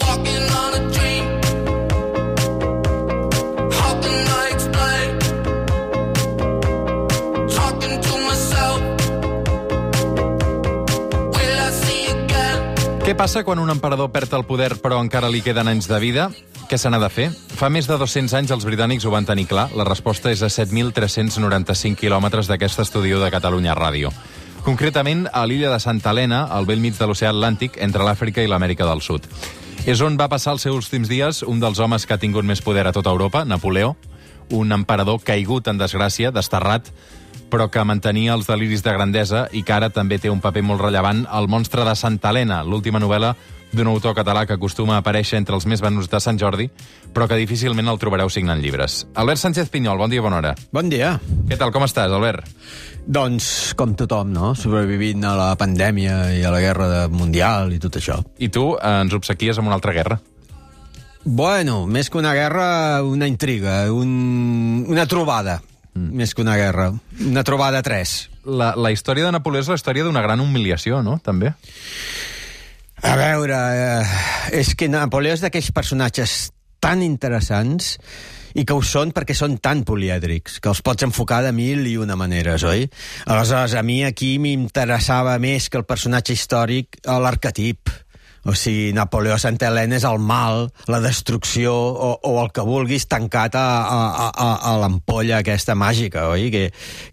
Walking on a dream. How can I explain? Talking to myself. Will I see again? Què passa quan un emperador perd el poder però encara li queden anys de vida? Què se n'ha de fer? Fa més de 200 anys els britànics ho van tenir clar. La resposta és a 7.395 quilòmetres d'aquest estudi de Catalunya Ràdio. Concretament a l'illa de Santa Helena, al bell mig de l'oceà Atlàntic, entre l'Àfrica i l'Amèrica del Sud. És on va passar els seus últims dies un dels homes que ha tingut més poder a tota Europa, Napoleó, un emperador caigut en desgràcia, desterrat, però que mantenia els deliris de grandesa i que ara també té un paper molt rellevant al Monstre de Santa Helena, l'última novel·la d'un autor català que acostuma a aparèixer entre els més venuts de Sant Jordi, però que difícilment el trobareu signant llibres. Albert Sánchez Pinyol, bon dia, bona hora. Bon dia. Què tal, com estàs, Albert? Doncs, com tothom, no? Sobrevivint a la pandèmia i a la guerra mundial i tot això. I tu ens obsequies amb una altra guerra. Bueno, més que una guerra, una intriga, una trobada. Més que una guerra. Una trobada 3. La història de Napoleó és la història d'una gran humiliació, no?, també. A veure, és que Napoleó és d'aquells personatges tan interessants i que ho són perquè són tan polièdrics, que els pots enfocar de 1001 maneres, oi? Aleshores, a mi aquí m'interessava més que el personatge històric l'arquetip. O sigui, Napoleó a Santa Helena és el mal, la destrucció o el que vulguis tancat a l'ampolla aquesta màgica, oi?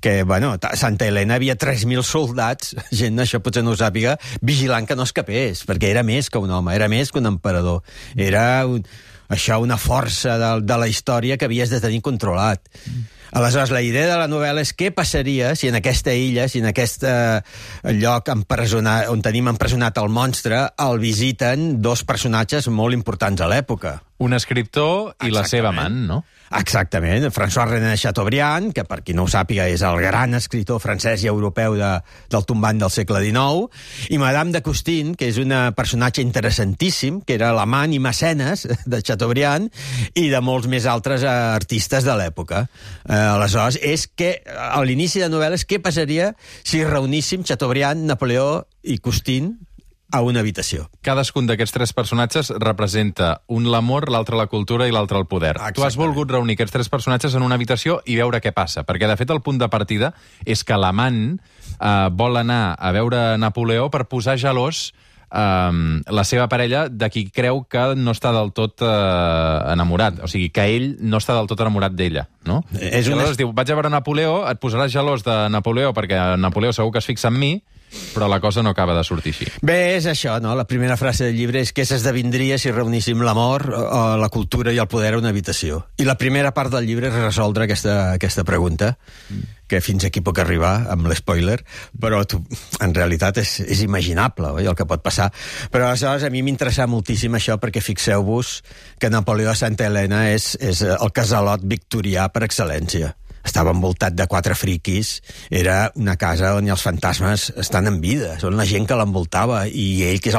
Que bueno, a Santa Helena havia 3.000 soldats, gent, això potser no ho sàpiga, vigilant que no escapés, perquè era més que un home, era més que un emperador. Era una força de la història que havies de tenir controlat. Aleshores, la idea de la novel·la és què passaria si en aquesta illa, si en aquest lloc on tenim empresonat el monstre, el visiten dos personatges molt importants a l'època. Un escriptor i la seva amant, no? Exactament. François-René Chateaubriand, que per qui no ho sàpiga és el gran escriptor francès i europeu del tombant del segle XIX, i Madame de Custine, que és un personatge interessantíssim, que era l'amant i mecenes de Chateaubriand i de molts més altres artistes de l'època. Aleshores, és que a l'inici de novel·la és què passaria si reuníssim Chateaubriand, Napoleó i Custine a una habitació. Cadascun d'aquests tres personatges representa un l'amor, l'altre la cultura i l'altre el poder. Exactament. Tu has volgut reunir aquests tres personatges en una habitació i veure què passa, perquè de fet el punt de partida és que l'amant vol anar a veure Napoleó per posar gelós la seva parella de qui creu que no està del tot enamorat. O sigui, que ell no està del tot enamorat d'ella, no? Aleshores diu, vaig a veure Napoleó, et posaràs gelós de Napoleó perquè Napoleó segur que es fixa en mi, però la cosa no acaba de sortir així. Bé, és això, no? La primera frase del llibre és què s'esdevindria si reuníssim l'amor, la cultura i el poder a una habitació. I la primera part del llibre és resoldre aquesta pregunta, que fins aquí puc arribar amb l'espoiler, però en realitat és imaginable, oi, el que pot passar. Però aleshores a mi m'interessa moltíssim això perquè fixeu-vos que Napoleó a Santa Helena és el casalot victorià per excel·lència. Estava envoltat de 4 friquis, era una casa on els fantasmes estan en vida, són la gent que l'envoltava, i ell, que és,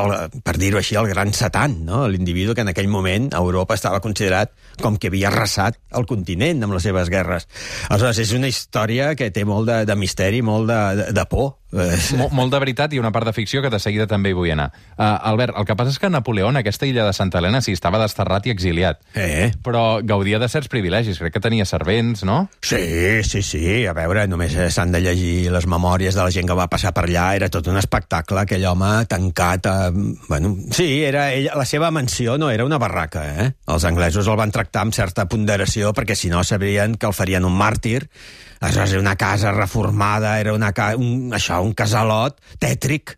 per dir-ho així, el gran satan, no? L'individu que en aquell moment a Europa estava considerat com que havia arrasat el continent amb les seves guerres. Aleshores, és una història que té molt de misteri, molt de por. Molt de veritat i una part de ficció que de seguida també hi vull anar. Albert, el que passa és que Napoleó en aquesta illa de Santa Helena sí estava desterrat i exiliat, però gaudia de certs privilegis, crec que tenia servents, no? Sí. A veure, només s'han de llegir les memòries de la gent que va passar per allà, era tot un espectacle, aquell home tancat la seva mansió no era una barraca, Els anglesos el van tractar amb certa ponderació perquè si no sabrien que el farien un màrtir. Aleshores, era una casa reformada, era un casalot tètric,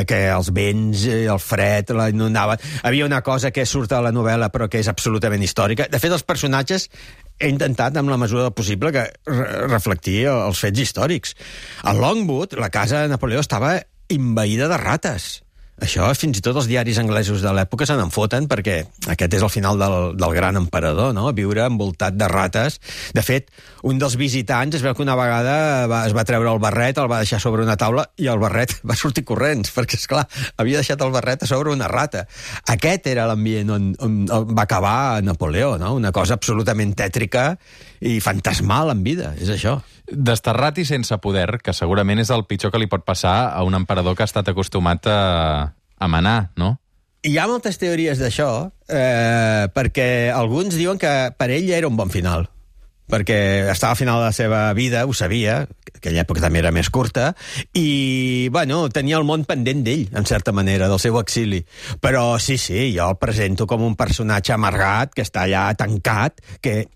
que els vents, el fred, la inundaven. Havia una cosa que surt a la novel·la però que és absolutament històrica. De fet, els personatges he intentat, amb la mesura del possible, que reflectir els fets històrics. A Longwood, la casa de Napoleó estava envaïda de rates. Això fins i tot els diaris anglesos de l'època se n'en foten perquè aquest és el final del gran emperador, no? Viure envoltat de rates. De fet, un dels visitants es veu que una vegada es va treure el barret, el va deixar sobre una taula i el barret va sortir corrents perquè, esclar, havia deixat el barret a sobre una rata. Aquest era l'ambient on va acabar Napoleó, no? Una cosa absolutament tètrica i fantasmal en vida, és això. Desterrat i sense poder, que segurament és el pitjor que li pot passar a un emperador que ha estat acostumat a manar, no? Hi ha moltes teories d'això, perquè alguns diuen que per ell era un bon final, perquè estava al final de la seva vida, ho sabia, aquella època també era més curta, i, bueno, tenia el món pendent d'ell, en certa manera, del seu exili. Però sí, jo el presento com un personatge amargat, que està allà tancat, que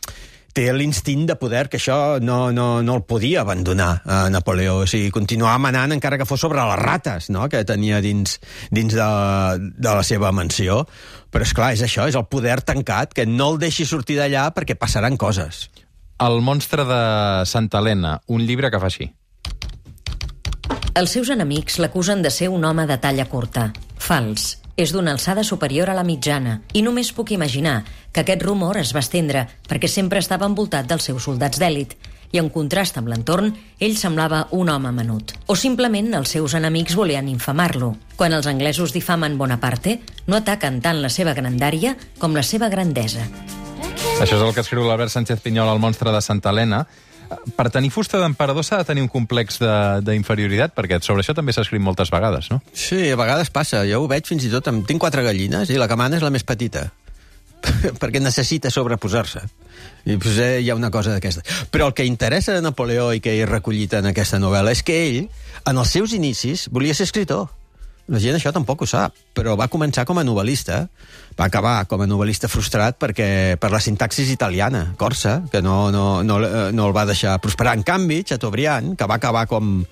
té l'instint de poder, que això no el podia abandonar a Napoleó. O sigui, continuava manant encara que fos sobre les rates, no?, que tenia dins de la seva mansió. Però, esclar, és això, és el poder tancat, que no el deixi sortir d'allà perquè passaran coses. El monstre de Santa Helena, un llibre que fa així. Els seus enemics l'acusen de ser un home de talla curta. Fals. És d'una alçada superior a la mitjana, i només puc imaginar que aquest rumor es va estendre perquè sempre estava envoltat dels seus soldats d'èlit, i en contrast amb l'entorn, ell semblava un home menut. O simplement els seus enemics volien infamar-lo. Quan els anglesos difamen Bonaparte, no ataquen tant la seva grandària com la seva grandesa. Això és el que escriu l'Albert Sánchez Pinyol al monstre de Santa Helena. Per tenir fusta d'emperador s'ha de tenir un complex d'inferioritat, perquè sobre això també s'ha escrit moltes vegades, no? Sí, a vegades passa. Jo ho veig fins i tot. Tinc 4 gallines i la que mana és la més petita, perquè necessita sobreposar-se. I potser hi ha una cosa d'aquesta. Però el que interessa de Napoleó i que he recollit en aquesta novel·la és que ell, en els seus inicis, volia ser escritor. La gent això tampoc ho sap, però va començar com a novel·lista, va acabar com a novel·lista frustrat per la sintaxis italiana, corsa, que no el va deixar prosperar. En canvi, Chateaubriand, que va acabar com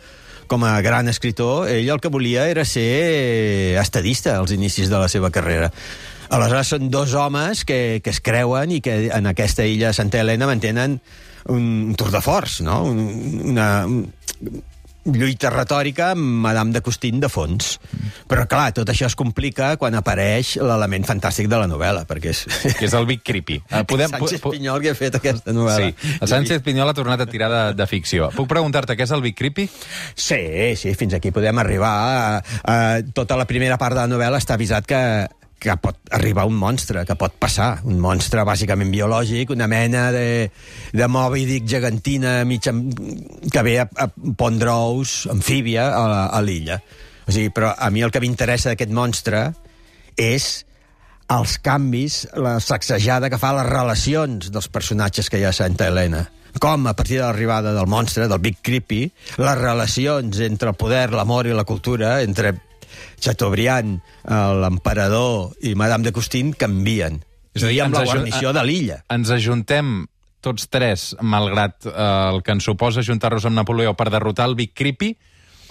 a gran escritor, ell el que volia era ser estadista als inicis de la seva carrera. Aleshores són dos homes que es creuen i que en aquesta illa de Santa Helena mantenen un tour de force, no? Una lluita retòrica amb Madame de Custine de fons. Però, clar, tot això es complica quan apareix l'element fantàstic de la novel·la, perquè és... Que és el Big Creepy. Sánchez Pinyol que ha fet aquesta novel·la. Sí, el Sánchez Pinyol ha tornat a tirar de ficció. Puc preguntar-te què és el Big Creepy? Sí, fins aquí podem arribar. Tota la primera part de la novel·la està avisat que pot arribar un monstre, que pot passar. Un monstre bàsicament biològic, una mena de Moby Dick gegantina que ve a pondre ous, amfíbia, a l'illa. O sigui, però a mi el que m'interessa d'aquest monstre és els canvis, la sacsejada que fa les relacions dels personatges que hi ha a Santa Helena. Com, a partir de l'arribada del monstre, del Big Creepy, les relacions entre el poder, l'amor i la cultura, entre Chateaubriand, l'emperador i Madame de Custine canvien. És a dir, amb la guarnició de l'illa. Ens ajuntem tots tres, malgrat el que ens suposa ajuntar-nos amb Napoleó per derrotar el Big Creepy,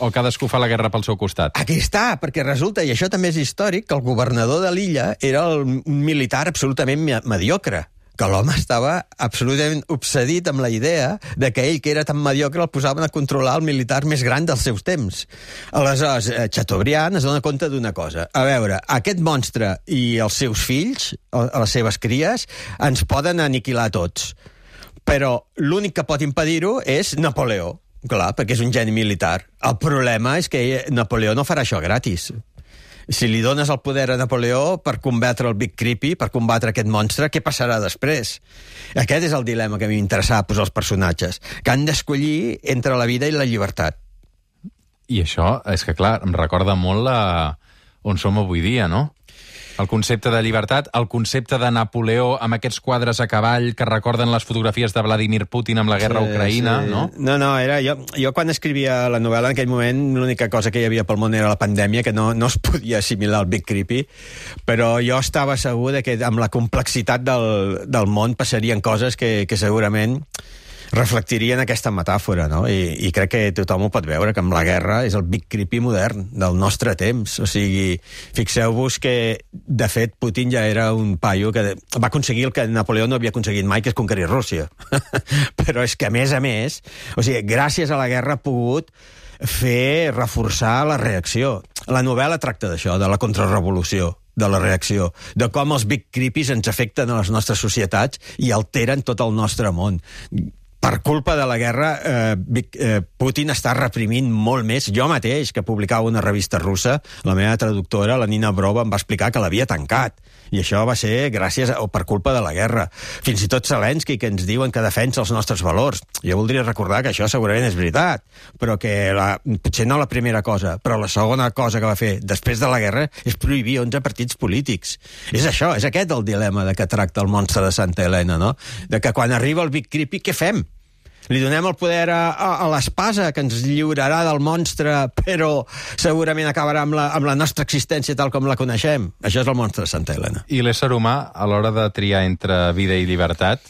o cadascú fa la guerra pel seu costat? Aquí està, perquè resulta, i això també és històric, que el governador de l'illa era un militar absolutament mediocre, que l'home estava absolutament obsedit amb la idea de que ell, que era tan mediocre, el posaven a controlar el militar més gran dels seus temps. Aleshores, Chateaubriand es dona compte d'una cosa. A veure, aquest monstre i els seus fills, les seves cries, ens poden aniquilar tots. Però l'únic que pot impedir-ho és Napoleó. Clar, perquè és un geni militar. El problema és que Napoleó no farà això gratis. Si li dones el poder a Napoleó per combatre el Big Creepy, per combatre aquest monstre, què passarà després? Aquest és el dilema que a mi m'interessava posar els personatges, que han d'escollir entre la vida i la llibertat. I això, és que clar, em recorda molt on som avui dia, no? El concepte de llibertat, el concepte de Napoleó amb aquests quadres a cavall que recorden les fotografies de Vladimir Putin amb la guerra a Ucraïna, sí. No? No, era... Jo quan escrivia la novel·la, en aquell moment, l'única cosa que hi havia pel món era la pandèmia, que no es podia assimilar al Big Creepy, però jo estava segur de que amb la complexitat del món passarien coses que segurament reflectirien aquesta metàfora, no? I crec que tothom ho pot veure, que amb la guerra és el Big Creepy modern del nostre temps. O sigui, fixeu-vos que, de fet, Putin ja era un paio que va aconseguir el que Napoleó no havia aconseguit mai, que és conquerir Rússia. Però és que, a més, o sigui, gràcies a la guerra ha pogut reforçar la reacció. La novel·la tracta d'això, de la contrarrevolució, de la reacció, de com els Big Creepies ens afecten a les nostres societats i alteren tot el nostre món. Per culpa de la guerra, Putin està reprimint molt més. Jo mateix, que publicava una revista russa, la meva traductora, la Nina Brova, em va explicar que l'havia tancat. I això va ser per culpa de la guerra. Fins i tot Zelensky, que ens diuen que defensa els nostres valors. Jo voldria recordar que això segurament és veritat, però que potser no la primera cosa, però la segona cosa que va fer després de la guerra és prohibir 11 partits polítics. És això, és aquest el dilema de que tracta el monstre de Santa Helena, no? De que quan arriba el Big Creepy, què fem? Li donem el poder a l'espasa, que ens lliurarà del monstre, però segurament acabarà amb la nostra existència tal com la coneixem. Això és el monstre de Santa Helena. I l'ésser humà, a l'hora de triar entre vida i llibertat,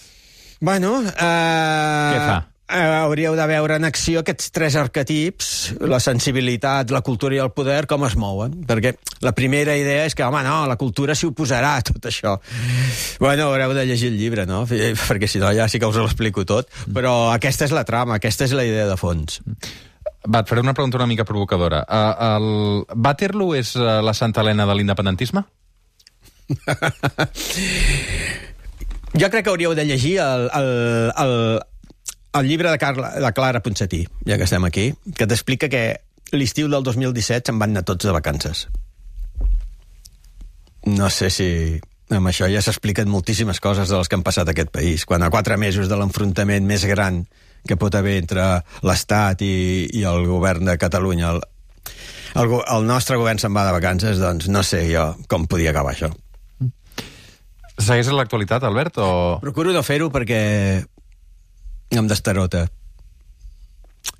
Bueno, què fa? Hauríeu de veure en acció aquests 3 arquetips, la sensibilitat, la cultura i el poder, com es mouen. Perquè la primera idea és que, home, no, la cultura s'hi oposarà a tot això. Bueno, haureu de llegir el llibre, no? Perquè si no ja sí que us l'explico tot. Però aquesta és la trama, aquesta és la idea de fons. Va, et faré una pregunta una mica provocadora. Waterloo és la Santa Helena de l'independentisme? Jo crec que hauríeu de llegir el llibre de Clara Ponsatí, ja que estem aquí, que t'explica que l'estiu del 2017 se'n van anar tots de vacances. No sé si amb això ja s'expliquen moltíssimes coses de les que han passat a aquest país. Quan a 4 mesos de l'enfrontament més gran que pot haver entre l'Estat i el govern de Catalunya, el nostre govern se'n va de vacances, doncs no sé jo com podia acabar això. Segueix en l'actualitat, Albert, o...? Procuro no fer-ho perquè em destarota.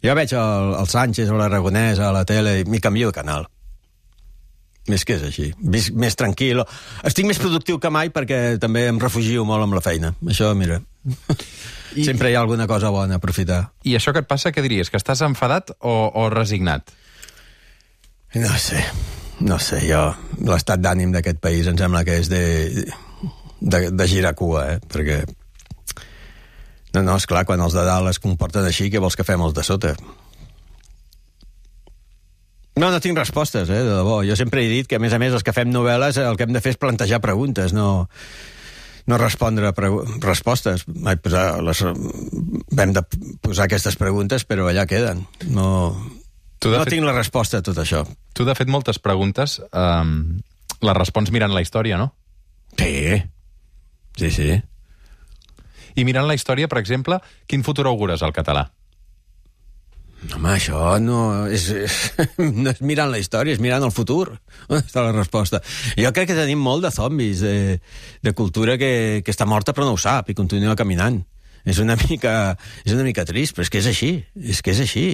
Jo veig el Sánchez o l'Aragonès a la tele i m'hi canvio de canal. Més que és així. Més tranquil. Estic més productiu que mai perquè també em refugio molt amb la feina. Això, mira, sempre hi ha alguna cosa bona a aprofitar. I això que et passa, què diries? Que estàs enfadat o resignat? No sé, jo... L'estat d'ànim d'aquest país em sembla que és de girar cua, perquè... No, esclar, quan els de dalt es comporten així, què vols que fem els de sota? No tinc respostes, de debò. Jo sempre he dit que, a més, els que fem novel·les, el que hem de fer és plantejar preguntes, no respondre respostes. Vam de posar aquestes preguntes, però allà queden. No tinc la resposta a tot això. Tu, de fet, moltes preguntes les respons mirant la història, no? Sí. I mirant la història, per exemple, quin futur augures al català? Home, això no és mirant la història, és mirant el futur. On està la resposta? Jo crec que tenim molt de zombis, de cultura que està morta però no ho sap i continua caminant. És una mica trist, però és que és així.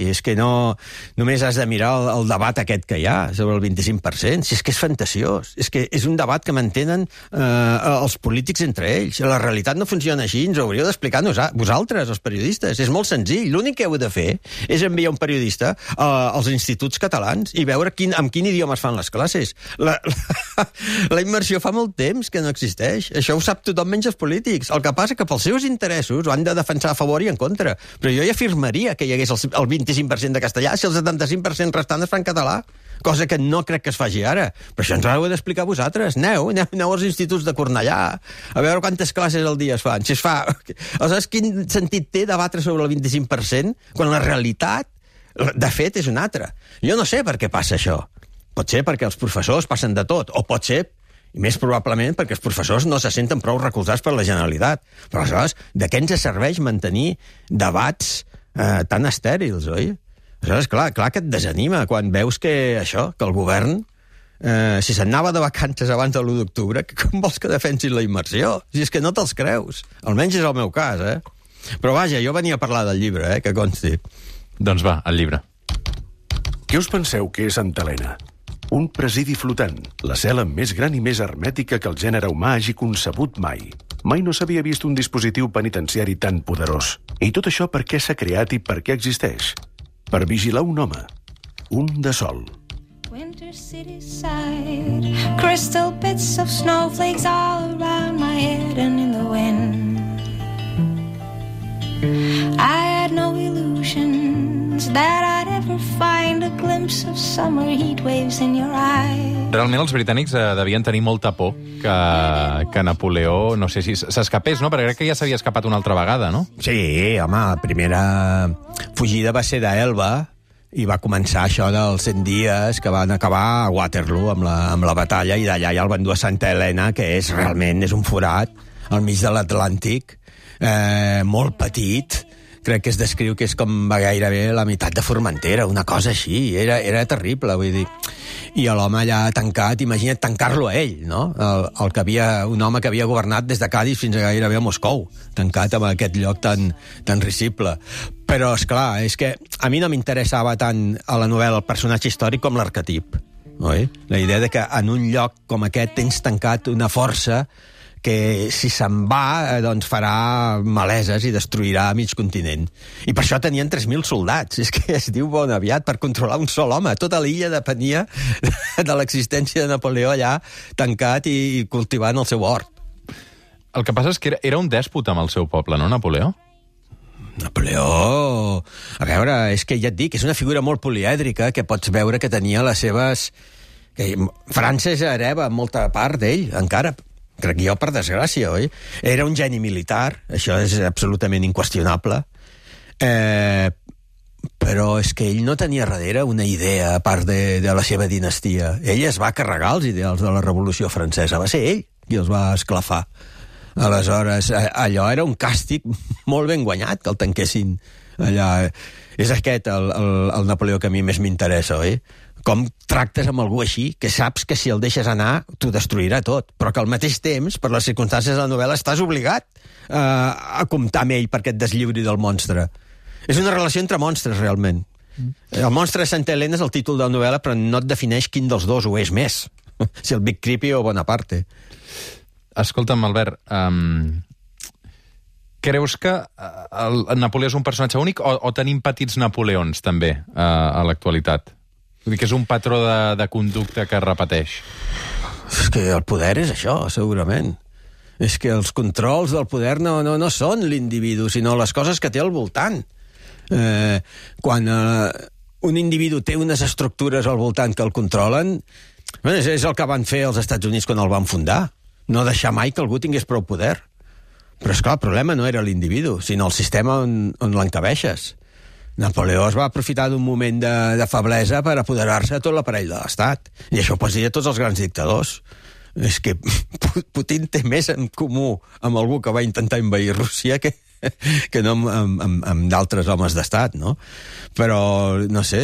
És que no només has de mirar el debat aquest que hi ha sobre el 25%, si és que és fantasiós. És que és un debat que mantenen els polítics entre ells. La realitat no funciona així, ens ho hauríeu d'explicar vosaltres, els periodistes. És molt senzill. L'únic que heu de fer és enviar un periodista als instituts catalans i veure amb quin idioma es fan les classes. La immersió fa molt temps que no existeix. Això ho sap tothom menys els polítics. El que passa que pels seus interessos ho han de defensar a favor i en contra. Però jo ja afirmaria que hi hagués el 25% de castellà si el 75% restant es fa en català, cosa que no crec que es faci ara. Però això ens ho heu d'explicar vosaltres. Aneu als instituts de Cornellà a veure quantes classes al dia es fan. Si es fa... Aleshores, quin sentit té debatre sobre el 25% quan la realitat, de fet, és una altra? Jo no sé per què passa això. Pot ser perquè els professors passen de tot, o pot ser i més probablement perquè els professors no se senten prou recolzats per la Generalitat. Però aleshores, de què ens serveix mantenir debats tan estèrils, oi? Aleshores, clar que et desanima quan veus que el govern, si se'n anava de vacances abans de l'1 d'octubre, com vols que defensin la immersió? Si és que no te'ls creus. Almenys és el meu cas, Però vaja, jo venia a parlar del llibre, que consti. Doncs va, el llibre. Què us penseu que és Santa Helena? Un presidi flotant, la cel·la més gran i més hermètica que el gènere humà hagi concebut mai. Mai no s'havia vist un dispositiu penitenciari tan poderós. I tot això per què s'ha creat i per què existeix? Per vigilar un home. Un de sol. Winter city side, crystal bits of snowflakes all around my head and in the wind. I had no illusions that I'd ever find a glimpse glimpse of summer heat waves in your eyes. Realment els britànics devien tenir molta por que Napoleó, no sé si s'escapés, no? Perquè crec que ja s'havia escapat una altra vegada, no? Sí, home, la primera fugida va ser d'Elba i va començar això dels 100 dies que van acabar a Waterloo amb la batalla, i d'allà ja el van dur a Santa Helena, que és realment un forat al mig de l'Atlàntic, molt petit. Crec que es descriu que és com gairebé la meitat de Formentera, una cosa així. Era terrible, vull dir. I l'home allà tancat, imagina't tancar-lo a ell, no? Un home que havia governat des de Cádiz fins a gairebé a Moscou, tancat en aquest lloc tan risible. Però, esclar, és que a mi no m'interessava tant a la novel·la el personatge històric com l'arquetip, oi? La idea de que en un lloc com aquest tens tancat una força que si se'n va, doncs farà maleses i destruirà mig continent. I per això tenien 3.000 soldats. És que es diu bon aviat per controlar un sol home. Tota l'illa depenia de l'existència de Napoleó allà tancat i cultivant el seu hort. El que passa és que era un dèspota amb el seu poble, no, Napoleó? Napoleó... A veure, és que ja et dic, és una figura molt polièdrica que pots veure que tenia les seves... França és hereva molta part d'ell, encara... Crec jo, per desgràcia, oi? Era un geni militar, això és absolutament inqüestionable, però és que ell no tenia darrere una idea a part de la seva dinastia. Ell es va carregar els ideals de la Revolució Francesa, va ser ell qui els va esclafar. Aleshores, allò era un càstig molt ben guanyat, que el tanquessin allà. És aquest el Napoleó que a mi més m'interessa, oi? Com tractes amb algú així, que saps que si el deixes anar t'ho destruirà tot, però que al mateix temps, per les circumstàncies de la novel·la, estàs obligat a comptar amb ell perquè et deslliuri del monstre. És una relació entre monstres, realment. El monstre de Santa Helena és el títol de la novel·la, però no et defineix quin dels dos ho és més, si el Big Creepy o Bonaparte. Escolta'm, Albert, creus que el Napoleó és un personatge únic o tenim petits Napoleons, també, a l'actualitat? Vull dir que és un patró de conducta que es repeteix. És que el poder és això, segurament. És que els controls del poder no són l'individu, sinó les coses que té al voltant. Quan un individu té unes estructures al voltant que el controlen, és el que van fer els Estats Units quan el van fundar. No deixar mai que algú tingués prou poder. Però, esclar, el problema no era l'individu, sinó el sistema on l'encabeixes. Napoleó es va aprofitar d'un moment de feblesa per apoderar-se de tot l'aparell de l'Estat. I això ho pots dir a tots els grans dictadors. És que Putin té més en comú amb algú que va intentar envair Rússia que no amb d'altres homes d'estat, no? Però, no sé...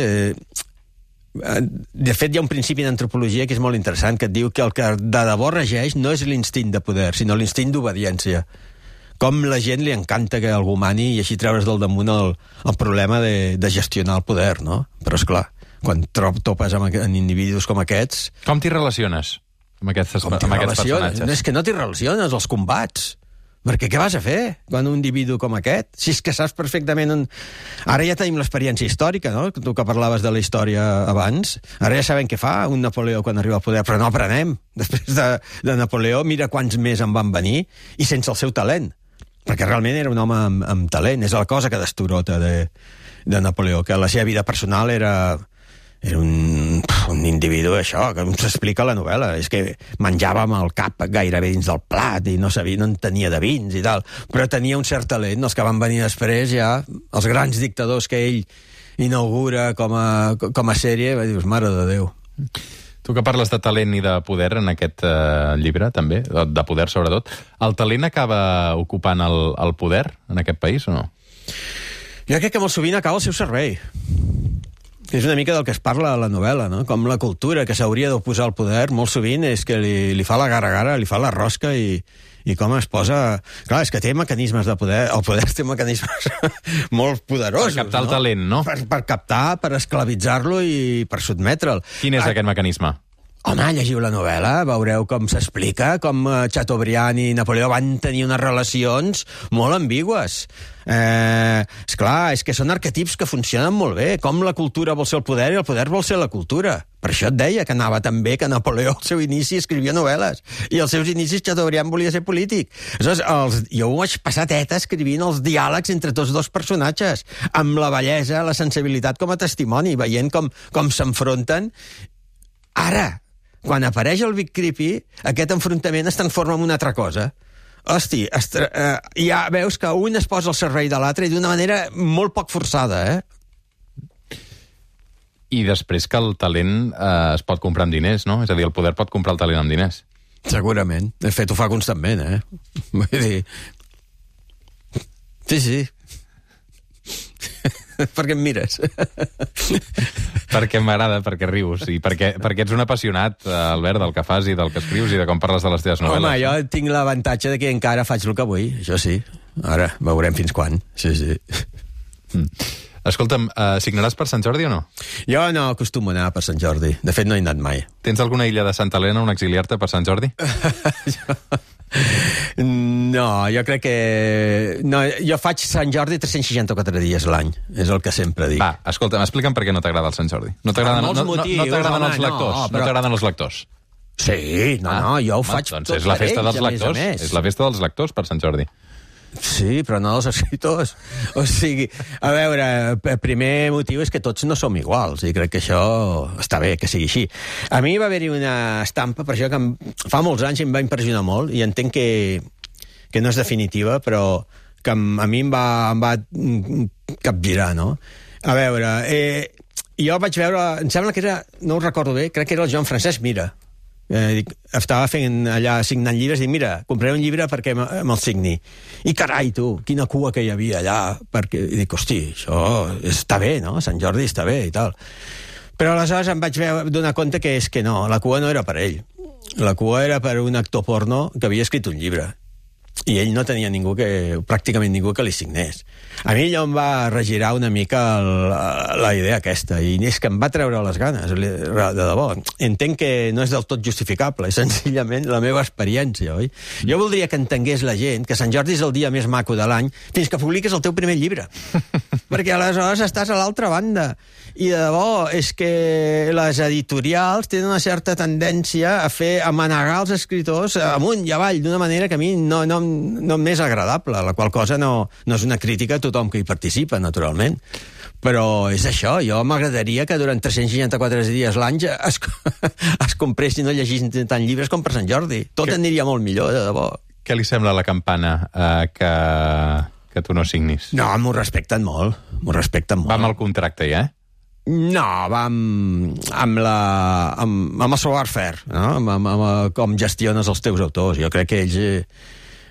De fet, hi ha un principi d'antropologia que és molt interessant, que et diu que el que de debò regeix no és l'instint de poder, sinó l'instint d'obediència. Com la gent li encanta que algú mani i així treure's del damunt el problema de gestionar el poder, no? Però, esclar, quan topes amb individus com aquests... Com t'hi relaciones amb aquests personatges? És que no t'hi relaciones, els combats. Perquè què vas a fer quan un individu com aquest? Si és que saps perfectament... Ara ja tenim l'experiència històrica, no? Tu que parlaves de la història abans. Ara ja sabem què fa un Napoleó quan arriba al poder, però no aprenem. Després de Napoleó, mira quants més en van venir i sense el seu talent. Perquè realment era un home amb talent. És la cosa que destorota de Napoleó, que la seva vida personal era un individu, això, que s'explica a la novel·la. És que menjava amb el cap gairebé dins del plat i no en tenia de vins i tal, però tenia un cert talent. Els que van venir després ja, els grans dictadors que ell inaugura com a sèrie, va dir, mare de Déu. Tu que parles de talent i de poder en aquest llibre, també, de poder sobretot, el talent acaba ocupant el poder en aquest país o no? Jo crec que molt sovint acaba al seu servei. És una mica del que es parla a la novel·la, no? Com la cultura que s'hauria d'oposar al poder, molt sovint és que li fa la gara-gara, li fa la rosca i com es posa... Clar, és que té mecanismes de poder... El poder té mecanismes molt poderosos, per captar el talent, no? Per captar, per esclavitzar-lo i per sotmetre'l. Quin és aquest mecanisme? Home, llegiu la novel·la, veureu com s'explica, com Chateaubriand i Napoleó van tenir unes relacions molt ambigües. Esclar, és que són arquetips que funcionen molt bé, com la cultura vol ser el poder i el poder vol ser la cultura. Per això et deia que anava tan bé que Napoleó al seu inici escrivia novel·les i als seus inicis Chateaubriand volia ser polític. Aleshores, jo ho vaig passar teta escrivint els diàlegs entre tots dos personatges, amb la bellesa, la sensibilitat com a testimoni, veient com s'enfronten. Ara, quan apareix el Big Creepy, aquest enfrontament es transforma en una altra cosa. Hosti, ja veus que un es posa al servei de l'altre i d'una manera molt poc forçada, I després que el talent es pot comprar amb diners, no? És a dir, el poder pot comprar el talent amb diners. Segurament. De fet, ho fa constantment, Vull dir... Sí. Per què em mires? Perquè m'agrada, perquè rius, i perquè ets un apassionat, Albert, del que fas i del que escrius i de com parles de les teves novel·les. Home, jo tinc l'avantatge de que encara faig el que vull, això sí. Ara, veurem fins quan. Sí. Escolta'm, signaràs per Sant Jordi o no? Jo no acostumo a anar per Sant Jordi. De fet, no he anat mai. Tens alguna illa de Santa Helena on exiliar-te per Sant Jordi? No, jo crec que... No, jo faig Sant Jordi 364 dies l'any, és el que sempre dic. Va, escolta'm, explica'm per què no t'agrada el Sant Jordi. No t'agraden els lectors? No t'agraden els lectors? Sí, no, jo ho faig doncs és la festa dels lectors. És la festa dels lectors per Sant Jordi. Sí, però no dels escriptors. O sigui, a veure, el primer motiu és que tots no som iguals, i crec que això està bé que sigui així. A mi va haver-hi una estampa, per això que fa molts anys em va impressionar molt, i entenc que no és definitiva, però que a mi em va capgirar, no? A veure, jo vaig veure, em sembla que era, no ho recordo bé, crec que era el Joan Francesc Mira. Estava fent allà signant llibres i dic, mira, compraré un llibre perquè me'l signi. I carai, tu, quina cua que hi havia allà, perquè... I dic, hosti, això està bé, no? Sant Jordi està bé i tal. Però aleshores em vaig donar compte que és que no, la cua no era per ell. La cua era per un actor porno que havia escrit un llibre. I ell no tenia pràcticament ningú que li signés. A mi allò em va regirar una mica la idea aquesta, i és que em va treure les ganes, de debò. Entenc que no és del tot justificable, és senzillament la meva experiència, oi? Jo voldria que entengués la gent que Sant Jordi és el dia més maco de l'any fins que publiques el teu primer llibre. Perquè aleshores estàs a l'altra banda. I de debò, és que les editorials tenen una certa tendència a manegar els escriptors amunt i avall d'una manera que a mi no m'és agradable, la qual cosa no és una crítica a tothom que hi participa, naturalment. Però és això, jo m'agradaria que durant 364 dies l'any es compressin o llegissin tant llibres com per Sant Jordi. Tot aniria molt millor, de debò. Què li sembla la campana que tu no signis? No, m'ho respecten molt. Va amb el contracte, ja, No, va amb el savoir-faire, no? Amb com gestiones els teus autors. Jo crec que ells...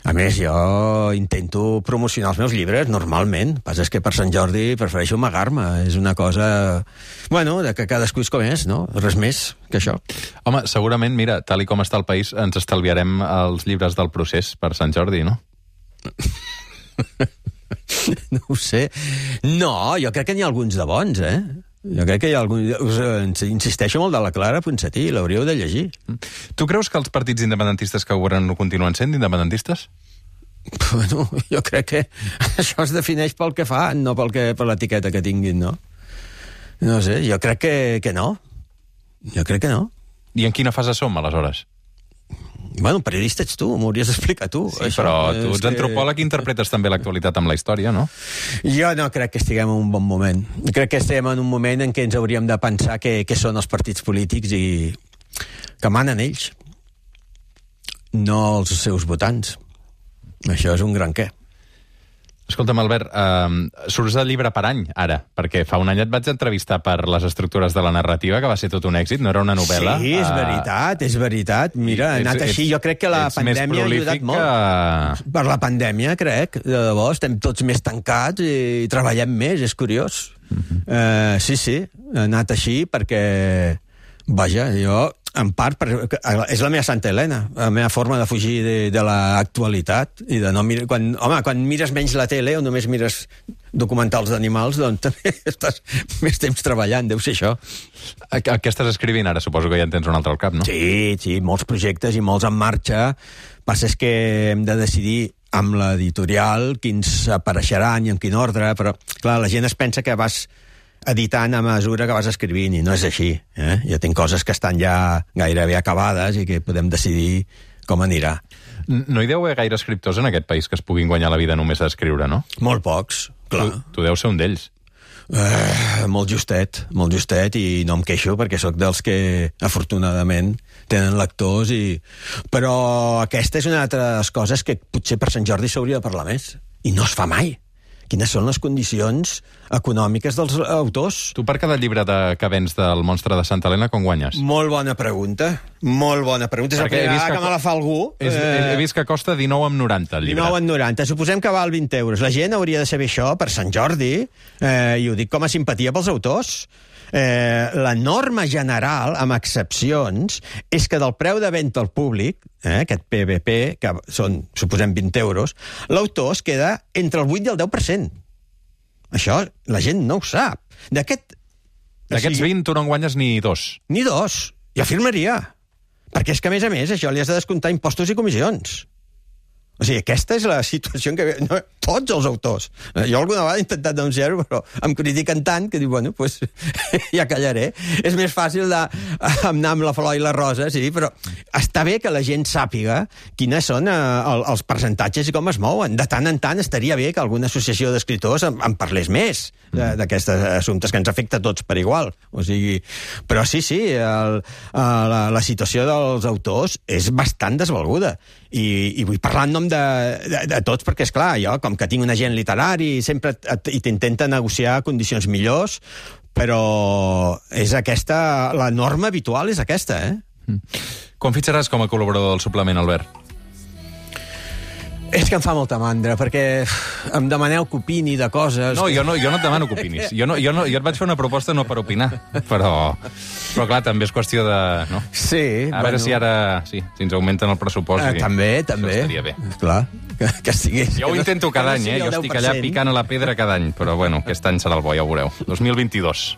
A més, jo intento promocionar els meus llibres, normalment. El que passa és que per Sant Jordi prefereixo amagar-me. És una cosa... Bueno, de que cadascú és com és, no? Res més que això. Home, segurament, mira, tal i com està el país, ens estalviarem els llibres del procés per Sant Jordi, no? No ho sé. No, jo crec que n'hi ha alguns de bons, Jo crec que hi ha alguns... Insisteixo molt de la Clara Ponsatí, l'hauríeu de llegir. Tu creus que els partits independentistes que governen continuen sent independentistes? Bueno, jo crec que això es defineix pel que fan, no per l'etiqueta que tinguin, no? No sé, jo crec que no. Jo crec que no. I en quina fase som, aleshores? Bueno, periodista ets tu, m'ho hauries d'explicar tu. Sí, això, però tu ets antropòleg i interpretes també l'actualitat amb la història, no? Jo no crec que estiguem en un bon moment. Crec que estem en un moment en què ens hauríem de pensar què són els partits polítics i que manen ells, no els seus votants. Això és un gran què. Escolta'm, Albert, surts del llibre per any, ara, perquè fa un any et vaig entrevistar per les estructures de la narrativa, que va ser tot un èxit, no era una novel·la. Sí, és veritat. Mira, ha anat així. Jo crec que la pandèmia ha ajudat molt. Per la pandèmia, crec, de debò, estem tots més tancats i treballem més, és curiós. Sí, ha anat així perquè, vaja, jo... En part, és la meva Santa Helena, la meva forma de fugir de l'actualitat i de no mirar... Quan mires menys la tele o només mires documentals d'animals, doncs també estàs més temps treballant, deu ser això. Què estàs escrivint ara? Suposo que ja en tens un altre al cap, no? Sí, molts projectes i molts en marxa. Passa és que hem de decidir amb l'editorial quins apareixeran i en quin ordre, però, clar, la gent es pensa que vas editant a mesura que vas escrivint, i no és així. Jo tinc coses que estan ja gairebé acabades i que podem decidir com anirà. No hi deu haver gaire escriptors en aquest país que es puguin guanyar la vida només a escriure, no? Molt pocs, clar. Tu deus ser un d'ells. Molt justet, i no em queixo perquè sóc dels que, afortunadament, tenen lectors Però aquesta és una altres coses que potser per Sant Jordi s'hauria de parlar més. I no es fa mai. Quines són les condicions econòmiques dels autors? Tu per cada llibre que vens del Monstre de Santa Helena, com guanyes? Molt bona pregunta. És la primera vegada que me la fa algú. He vist que costa 19,90 el llibre. 19,90. Suposem que val 20 euros. La gent hauria de saber això per Sant Jordi, i ho dic com a simpatia pels autors. La norma general, amb excepcions, és que del preu de venda al públic, aquest PVP, que són, suposem, 20 euros, l'autor es queda entre el 8 i el 10%. Això la gent no ho sap. D'aquests 20 tu no en guanyes ni 2. Ni 2. Jo firmaria. Perquè és que, a més, això li has de descomptar impostos i comissions. O sigui, aquesta és la situació en què... No, tots els autors. Jo alguna vegada he intentat denunciar-ho, però em critiquen tant que dic, bueno, doncs ja callaré. És més fàcil anar amb la flor i la rosa, sí, però està bé que la gent sàpiga quines són els percentatges i com es mouen. De tant en tant estaria bé que alguna associació d'escriptors en parlés més d'aquests assumptes que ens afecta a tots per igual. O sigui, però sí, la situació dels autors és bastant desvalguda. I vull parlar en nom de tots, perquè, esclar, jo, com que tinc un agent literari, sempre t'intenta negociar condicions millors, però és aquesta... La norma habitual és aquesta, Quan fitxaràs com a col·laborador del suplement, Albert? És que em fa molta mandra, perquè em demaneu que opini de coses... No, jo no et demano que opinis. Jo et vaig fer una proposta no per opinar, però clar, també és qüestió de... No? Sí. A veure si ara... Sí, si ens augmenten el pressupost... També. Això estaria bé. Clar, que estigués... Jo ho intento cada any, Jo estic allà picant a la pedra cada any, però bueno, aquest any serà el bo, ja ho veureu. 2022.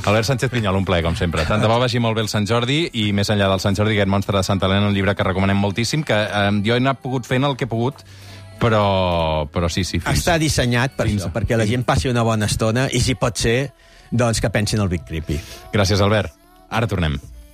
Albert Sánchez Pinyol, un plaer, com sempre. Tant de bo vagi molt bé el Sant Jordi, i més enllà del Sant Jordi, aquest Monstre de Santa Helena, un llibre que recomanem moltíssim, que jo he anat pogut fent el que he pogut, però sí. Està dissenyat per això, perquè la gent passi una bona estona, i si pot ser, doncs que pensin el Big Creepy. Gràcies, Albert. Ara tornem.